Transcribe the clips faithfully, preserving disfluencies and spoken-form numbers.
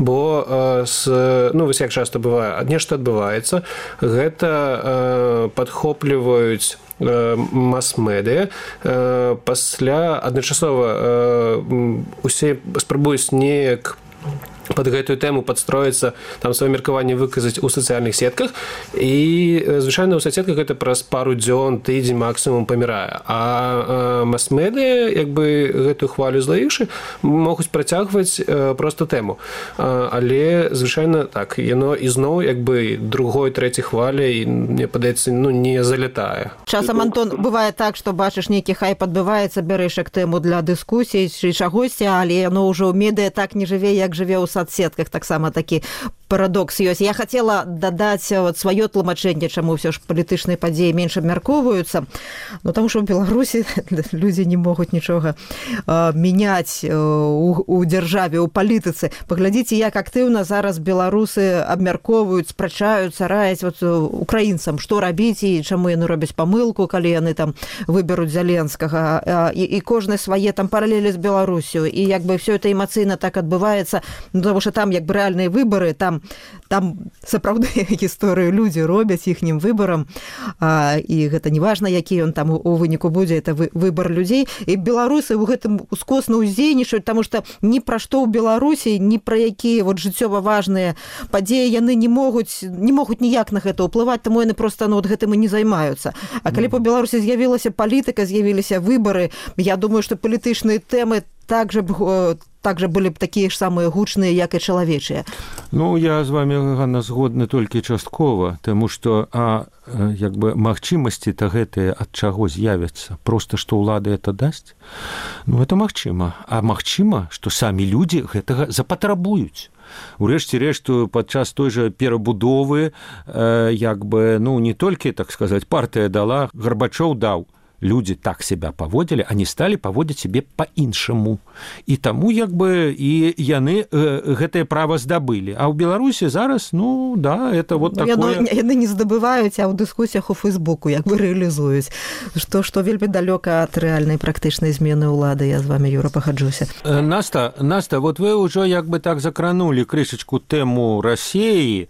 бо з, ну, вось як часта бывае, нешта адбываецца, гэта падхопліваюць мас-медыя, пасля адначасова усе спрабуюць неяк под гэтую тэму падстроіцца, там сваё меркаванне выказаць у сацыяльных сетках, і звычайна ў соцсетках гэта праз пару дзён, тыдзень максімум памірае. А мас-медыя, як бы гэтую хвалю злаіўшы, могуць працягваць проста тэму. Але звычайна так, яно ізноў як бы другой, трэцяй хваляй, мне падаецца, ну, не залятае. Часам, Антон, бывае так, што бачыш нейкі хайп адбываецца, бярэш як тэму для дыскусіі ці чагосьці, але яно ўжо ў медыя так не жыве, як жыве ў соцсетках, таксама такі парадокс ёсць. Я хацела дадаць вот сваё тлумачэнне, чаму ўсё ж палітычныя падзеі менш абмяркоўваюцца. Ну, таму што ў Беларусі людзі не могуць нічога э, мяняць э, у, у дзяржаве, у палітыцы. Паглядзіце, як актыўна зараз беларусы абмяркоўваюць, спрачаюцца, раяць вот, украінцам, што рабіць і чаму яны робяць памылку, калі яны там выберуць Зяленскага. Э, і, і кожны свае там паралелі з Беларусю. І як бы все это эмацыйна так адбываецца, ну, потому что там як бы рэальныя выбары, там, там сапраўдныя гісторыі людзі робяць іхнім выбарам, а, і гэта не важна, які ён там у, у выніку будзе, это вы, выбар людзей. І беларусы ў гэтым ускосна ўздзейнічаюць, таму што ні пра што ў Беларусі, ні пра якія вот жыццёва важныя падзеі яны не могуць, не могуць ніяк на гэта ўплываць, таму яны проста ну, вот гэтым і не займаюцца. А калі па Беларусі з'явілася палітыка, з'явіліся выбары, я думаю, што палітычныя тэмы также б также были б такія ж самыя гучныя, як і чалавечыя. Ну, я з вами, Ганна, згодны толькі часткова, таму што а як бы магчымасці-то гэтыя ад чаго з'явяцца? Проста, што ўлада это дасць? Ну, это магчыма. А магчыма, што самі людзі гэтага запатрабуюць. Урэшце рэшту, падчас той жа перабудовы, э, як бы, ну, не толькі, так сказаць, партыя дала, Гарбачоў даў. Люди так себя поводили, они стали поводить себе по-іншаму. И тому, як бы, и яны э, гэтае право здабылі. А ў Беларусі зараз, ну, да, это вот ну, такое... Яны, яны не здабываюць, а ў дыскусіях у Фейсбуку як бы рэалізуюць. Што, што вельмі далёка ад рэальнай практычнай змены ўлады. Я з вами, Юра, пагаджуся. Э, Наста, Наста, вот вы ўжо як бы так закранули крышачку тэму Расіі.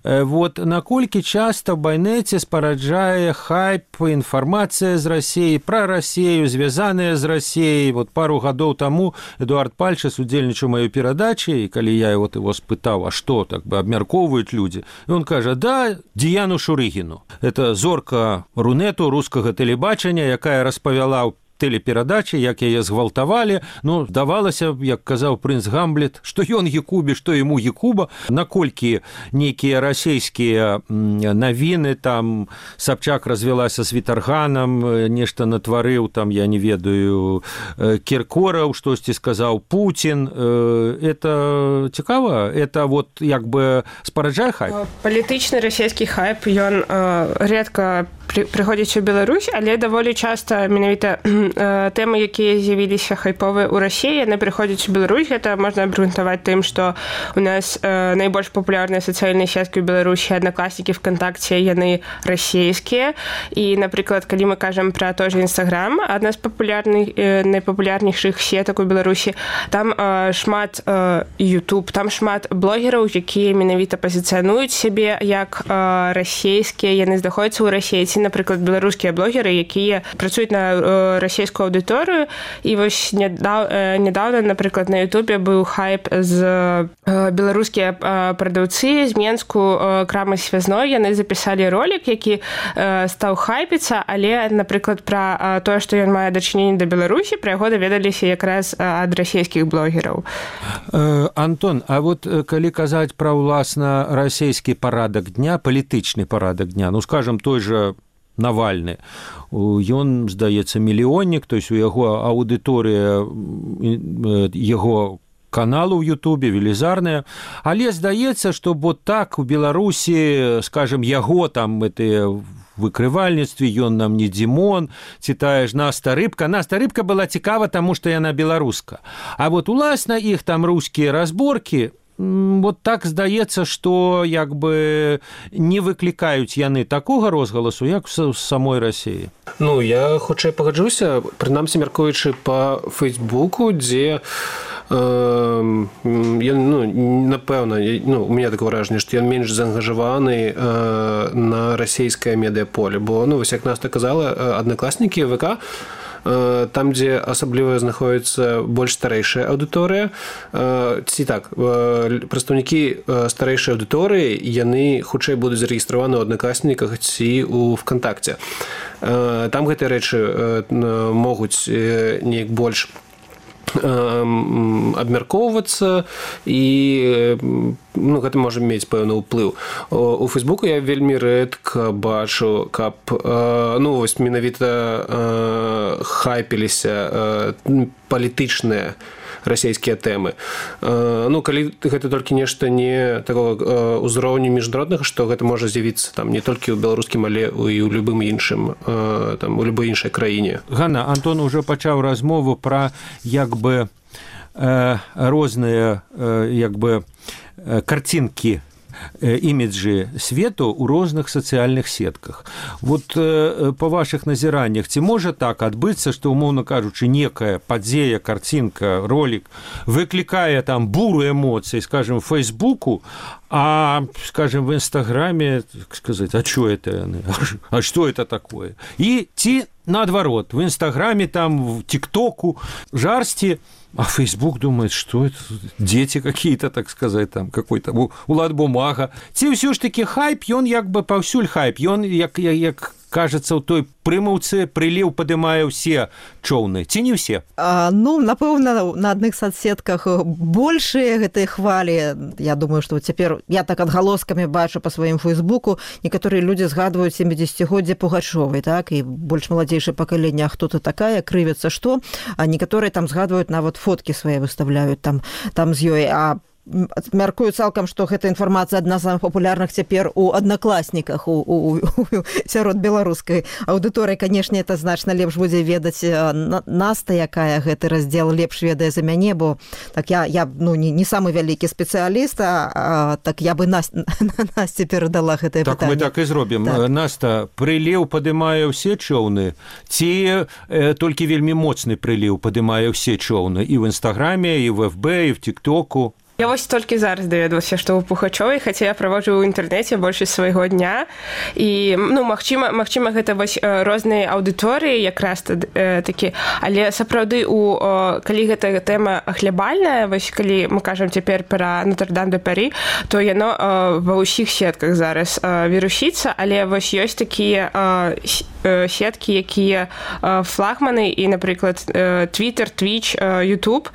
Э, вот наколькі часта в байнеце спараджае хайп, інфармацыя з Расіі, про Россию, звязаныя з Россией. Вот пару гадоў таму Эдуард Пальчас удзельнічаў маёй перадачы, і калі я вот его спытаў, а што так бы абмяркоўваюць людзі, і он кажа, да, Діяну Шурыгіну. Это зорка Рунету, рускага тэлебачання, якая распавяла ў тэлеперадачы, як яе згвалтавалі. Ну, здавалася, як казаў прынц Гамлет, што ён Якубе, што яму Якуба. Наколькі нейкія расійскія навіны, там Сабчак развялася з Вітарганам, нешта натварыў, там, я не ведаю, Кіркораў, штосьці сказаў Пуцін. Это цікава? Это вот як бы спараджае хайп? Палітычны расійскі хайп, ён рэдка прыходзіць у Беларусь, але даволі часта менавіта тэмы, якія з'явіліся хайповыя ў Расіі, яны прыходзяць у Беларусь. Гэта можна абгрунтаваць тым, што у нас э, найбольш папулярныя сацыяльныя сеткі ў Беларусі, аднакласнікі, ВКонтакце, яны расійскія. І, напрыклад, калі мы кажам пра той же Інстаграм, адна з папулярных, э, найпапулярнейшых сетак у Беларусі, там э, шмат э, YouTube, там шмат блогераў, якія менавіта пазіцыянуюць сябе як э, расійскія, яны знаходзяцца ў Расіі, ці, напрыклад, беларускія блогеры, якія працуюць на э, расійскую аўдыторыю. І вось нядаўна, напрыклад, на Ютубе быў хайп з беларускія прадаўцы з Менску крамы связной. Яны запісалі ролик, які стаў хайпіцца, але, напрыклад, пра тое, што ён мае дачыненне да Беларусі, пра яго даведаліся якраз ад расійскіх блогераў. Антон, а вот калі казаць пра ўласна расійскі парадак дня, палітычны парадак дня, ну, скажам, той жа Навальны. Ён, здаецца, мільённік, то есть у яго аўдыторыя яго каналу ў Ютубе велізарная, але здаецца, што вот так у Беларусі, скажем, яго там гэтыя выкрывальніцтве, ён нам не Дзімон, ці тая ж Наста Рыбка. Наста Рыбка была цікава, таму што яна беларуска. А вот уласна іх там рускія разборкі, вот так здаецца, што як бы не выклікаюць яны такога розгаласу, як у самой Расіі. Ну, я хутчэй пагаджуся, прынамсі мяркуючы па Фейсбуку, дзе ён, ну, напэўна, ну, у меня такое ўражанне, што ён менш заангажаваны на расійскае медыаполе, бо, ну, вось як Наста казала, аднакласнікі, ВК, там, дзе асабліва знаходіцца больш старэйшая аўдыторыя, ці так, прадстаўнікі старэйшай аўдыторыі, яны хутчэй будуць зарэгістраваны ў аднакласніках ці ў ВКонтакце. Там гэтыя рэчы могуць неяк больш абмяркоўвацца і, ну, гэта можа мець пэўны ўплыў. У Фейсбуку я вельмі рэдка бачу, каб, ну, вось менавіта хайпіліся палітычныя расійскія тэмы. Ну, калі гэта толькі нешта не такого ўзроўню міжнароднага, што гэта можа з'явіцца там не толькі ў беларускім, але і ў любым іншым, там, у любой іншай краіне. Ганна, Антон уже пачаў размову пра як бы э, розныя э, як бы э, карцінкі, іміджы свету ў розных сацыяльных сетках. Вот э, па вашых назіраннях, ці можа так адбыцца, што, умоўна кажучы, некая падзея, карцінка, ролик выклікае там буру эмоцый, скажем, в Фейсбуку, а, скажем, в Инстаграме, сказать, а что это? А что это такое? И ці наоборот, в Инстаграме, там, в ТикТоку жарсти, а Фейсбук думает, что это дети какие-то, так сказать, там какой-то улад бумага. Ці ўсё ж таки хайп, ён як бы паўсюль хайп, ён як, як, як кажется, у той прымаўцы прыліў падымае ўсе чоўны, ці не ўсе? А, ну, напэўна, на адных соцсетках большыя гэтыя хвалі. Я думаю, што цяпер я так адгалоскамі бачу па сваім Фейсбуку, некаторыя людзі згадваюць сямідзесяцігоддзе Пугачовай, так, і больш маладзейшае пакаленне, а хто ты такая, крывяцца што, а некаторыя там згадваюць нават фоткі свае выставляюць там, там з ёй, а мяркую цалкам, што гэта інфармацыя адна з самых папулярных цяпер у аднакласніках, у, у, у, сярод беларускай аўдыторыі. Канешне, это значна лепш будзе ведаць Наста, якая гэты раздзел лепш ведае за мяне, бо так я, я ну, не, не самы вялікі спецыяліст, а, а так я бы Наст, Насце перадала гэтае так пытанне. Так мы так і зробім. Так. Наста, прыліў падымае ўсе чоўны, ці э, толькі вельмі моцны прыліў падымае ўсе чоўны і ў Інстаграме, і в эф бэ, і в ТикТоку? Я вось толькі зараз даведалася, што ў Пухачовай, хаця я праводжу ў інтэрнэце большасць свайго дня. І, ну, магчыма, магчыма гэта вось розныя аўдыторыі якраз э, такі, але сапраўды, у, о, калі гэта тэма глябальная, вось калі мы кажам цяпер пра Нотр-Дам-де-Парі, то яно о, ва ўсіх сетках зараз о, вірусіцца, але вось ёсць такія о, сеткі, якія о, флагманы, і, напрыклад, Twitter, Twitch, YouTube,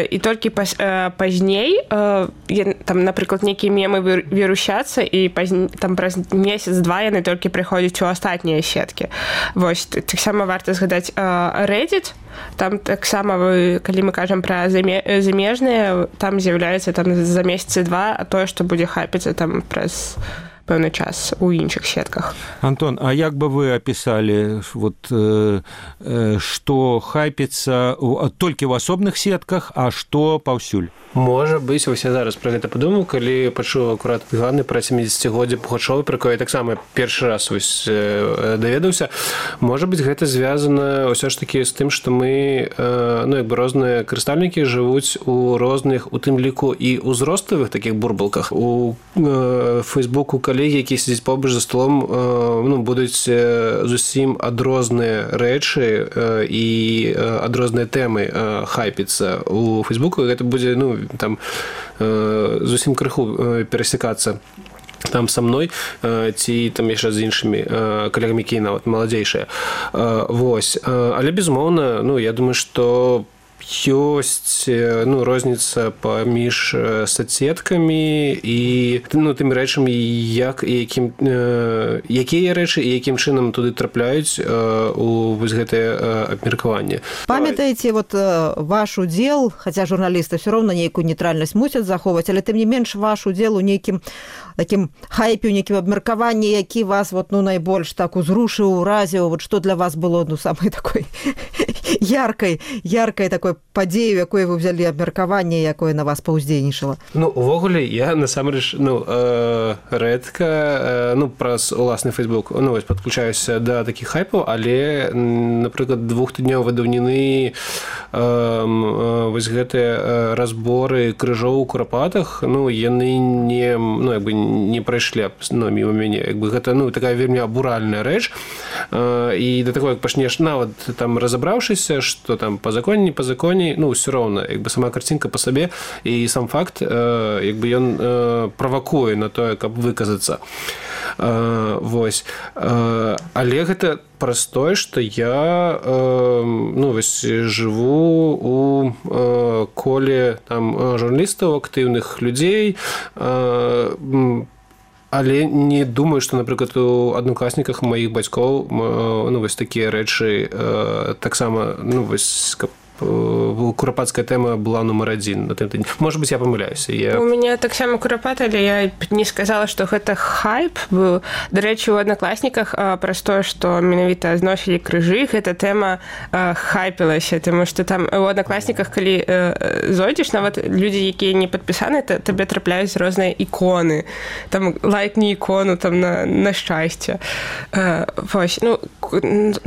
і толькі паз, пазней там, напрыклад, нейкія мемы вірусяцца, і пазн... там праз месяц-два яны толькі прыходзяць у астатнія сеткі. Вось, таксама варта згадаць Reddit, там таксама, калі мы кажам пра замежныя, там з'яўляецца там за месяцы два, а тое, што будзе хайпіцца там праз пэўны час у іншых сетках. Антон, а як бы вы описали, вот, э, э, што хайпіцца толькі ў асобных сетках, а што паўсюль? Можа быць, вось я зараз пра гэта падумаў, калі пачуў акурат Ганны пра сямідзесяцігоддзе Пугачовай, пра якое я таксама першы раз вось даведаўся. Можа быць, гэта звязана ўсё ж такі з тым, што мы, ну, як бы розныя карыстальнікі жывуць у розных, у тым ліку і ўзроставых такіх бурбалках. У Фейсбуку калегі, які сядзяць побач за столом, ну, будуць зусім адрозныя рэчы і адрозныя тэмы хайпіцца у Фейсбуку, і гэта будзе, ну, там зусім крыху перасекацца там са мной, ці там яшчэ з іншымі калегамі, які нават маладзейшыя. Вось. Але, безумоўна, ну, я думаю, што ёсць, ну, розніца паміж соцсеткамі і, ну, тымі рэчамі, як і якім, якія рэчы і якім чынам туды трапляюць у вось гэтае абмеркаванне. Памятаеце, вот ваш удзел, хаця журналісты ўсё роўна нейкую нейтральнасць мусяць захоўваць, але тым не менш ваш удзел у нейкім такім хайпе, у нейкім абмеркаванні, які вас вот, ну, найбольш так узрушыў, уразіў, вот што для вас было, ну, самай такой яркай, яркай такой падзею, якое вы ўзялі абмеркаванне, якое на вас паўздзейнічала? Ну, увогуле, я, насамрэч, ну, э, рэдка, э, ну, праз уласны Facebook, ну, вось, падключаюся да такіх хайпаў, але, напрыклад, двухтыднёвай даўніны э, э, вось гэтыя разборы крыжоў у Курапатах, ну, яны не, ну, як бы, не прайшлі, ну, міма мяне, як бы, гэта, ну, такая вельмі абуральная рэч, э, і да таго, як пачнеш нават там разабраўшыся, што там па законе, не па законе, ну, ўсё роўна, як бы сама карцінка па сабе і сам факт, э, як бы ён э, правакуе на тое, каб выказацца. Э, вось. Э, але гэта праз тое, што я э, ну, вось, жыву у э, коле там журналістаў, актыўных людзей, э, але не думаю, што, напрыклад, у аднакласніках маіх бацькоў ну, вось такія рэчы э, таксама, ну, вось, каб курапатская тэма была нумар адзін на тым тыдні. Можа быць, я памыляюся. Я... У мяне таксама курапат, але я не сказала, што гэта хайп быў. Дарэчы, у аднакласніках праз тое, што менавіта зносілі крыжы, гэта тэма хайпілася, таму што там у аднакласніках, калі зойдзеш, нават людзі, якія не падпісаны, табе трапляюць розныя іконы. Там лайкні ікону там на, на шчасце. Вось, ну,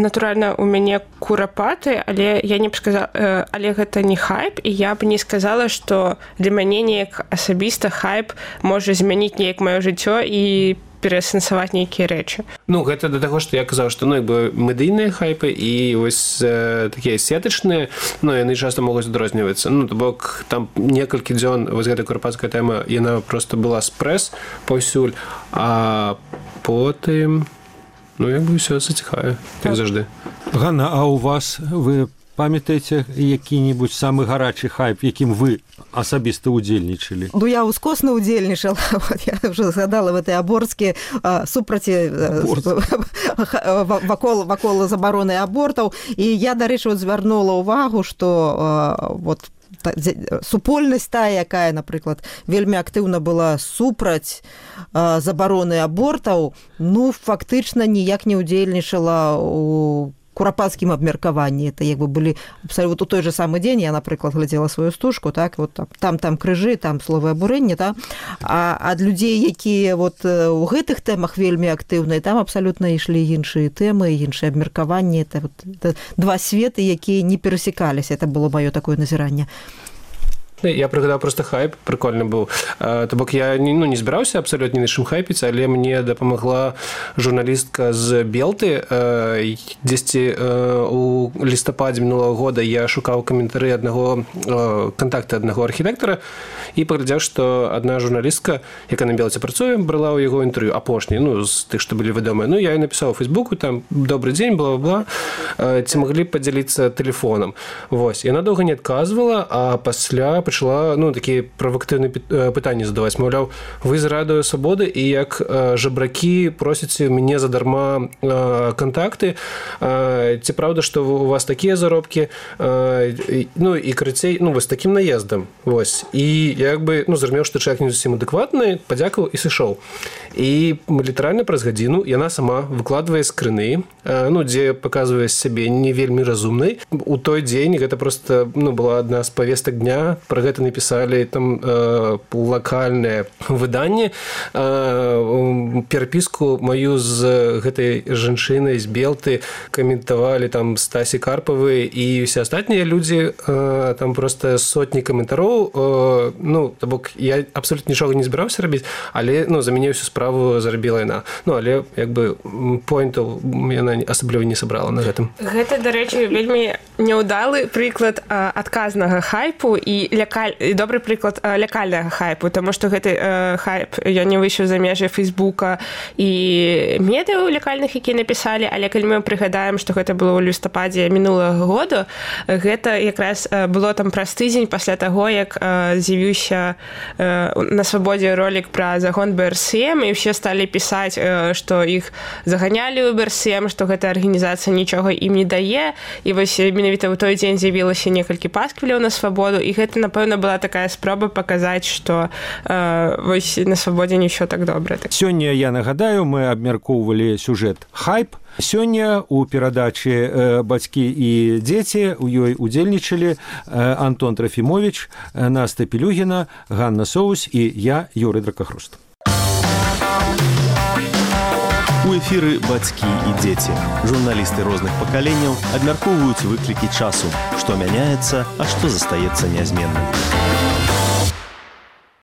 натуральна, у мяне курапаты, але я не б сказала, але гэта не хайп, і я б не сказала, што для мяне неяк асабіста хайп можа змяніць неяк маё жыццё і пераасэнсаваць нейкія рэчы. Ну, гэта да таго, што я казаў, што, ну, як бы медыйныя хайпы і вось э, такія сетачныя, ну, яны часта могуць адрознівацца. Ну, то бок, там некалькі дзён вось гэта курапатская тэма, яна проста была спрэс паўсюль, а потым, ну, як бы ўсё заціхае, як заўжды. Ганна, а у вас вы памятаеце які-небудзь самы гарачы хайп, якім вы асабіста удзельнічалі? Ну, я ускосна удзельнічала. Вот, я уже згадала в этой аборцкі супраці вакол, вакол забароны абортаў. І я, дарэчы, вот, звярнула ўвагу, што вот, супольнасць тая, якая, напрыклад, вельмі актыўна была супраць забароны абортаў, ну, фактычна ніяк не удзельнічала у курапатскім абмеркаванні. Это як бы былі абсалютна у той же самы дзень, я, напрыклад, глядзела сваю стужку, так, вот там там крыжы, там словы абурэння, да? А ад людзей, якія вот у гэтых тэмах вельмі актыўныя, там абсалютна ішлі іншыя тэмы, іншыя абмеркаванні. Это, вот, это два светы, якія не перасекаліся. Это было маё такое назіранне. Я прыгадаў просто хайп, прикольны быў. То бок я ну, не збіраўся абсалютна ні на чым хайпіць, але мне дапамагла журналістка з Белты. Дзесьці у лістападзе мінулага года я шукаў каментары аднаго кантакты аднаго архітэктара і паглядзеў, што адна журналістка, якая на Белце працуе, брала ў яго інтэрв'ю апошні, ну, з тых, што былі вядомыя. Ну, я і напісаў у Фейсбуку, там, добрый дзень, бла-бла, ці маглі падзяліцца тэлефонам. Вось, яна доўга не адказвала, а пасля пачала, ну, такія правакатыўныя пытанні задаваць. Маўляў, вы з радыё Свабоды і як жабракі просіце мяне задарма кантакты. Ці праўда, што у вас такія заробкі? Ну, і карацей, ну, вось такім наездам. Вось. І як бы, ну, зразумеў, што чалавек не зусім адэкватны, падзякаваў і сышоў. І літаральна праз гадзіну яна сама выкладвае скрыны, ну, дзе паказвае сябе не вельмі разумнай. У той дзень гэта проста, ну, была адна з павестак дня. Пра гэта напісалі там э, лакальнае выданне. Э, перапіску маю з гэтай жанчынай з Белты каментавалі там Стасі Карпавы і ўсе астатнія людзі. Э, там проста сотні каментароў. Э, ну, то бок я абсалютна нічога не збіраўся рабіць, але, ну, за мяне ўсю справу зарабіла яна. Ну, але, як бы, поінтаў яна асабліва не сабрала на гэтым. Гэта, дарэчы, вельмі няўдалы прыклад э, адказнага хайпу і лякаль... і добры прыклад э, лякальнага хайпу, таму што гэты э, хайп ён не выйшаў за межы Фейсбука і медыяў лякальных, якія напісалі, але калі мы прыгадаем, што гэта было ў лістападзе мінулага года, гэта якраз э, было там праз тыдзень пасля таго, як э, з'явіўся э, на Свабодзе ролік пра загон бэ эр эс эм, і ўсе сталі пісаць, э, што іх заганялі ў бэ эр эс эм, што гэта арганізацыя нічога ім не дае, і вось менавіта менавіта ў той дзень з'явілася некалькі пасквіляў на свабоду, і гэта, напэўна, была такая спроба паказаць, што э, вось на свабодзе не ўсё так добра. Сёння, я нагадаю, мы абмяркоўвалі сюжэт «Хайп». Сёння у перадачы э, «Бацькі і дзеці» у ёй удзельнічалі э, Антон Трофімович, э, Наста Пелюгіна, Ганна Соус і я, Юрый Дракахруст. У эфіры «Бацькі і дзеці». Журналісты розных пакаленняў абмяркоўваюць выклікі часу, што мяняецца, а што застаецца нязменным.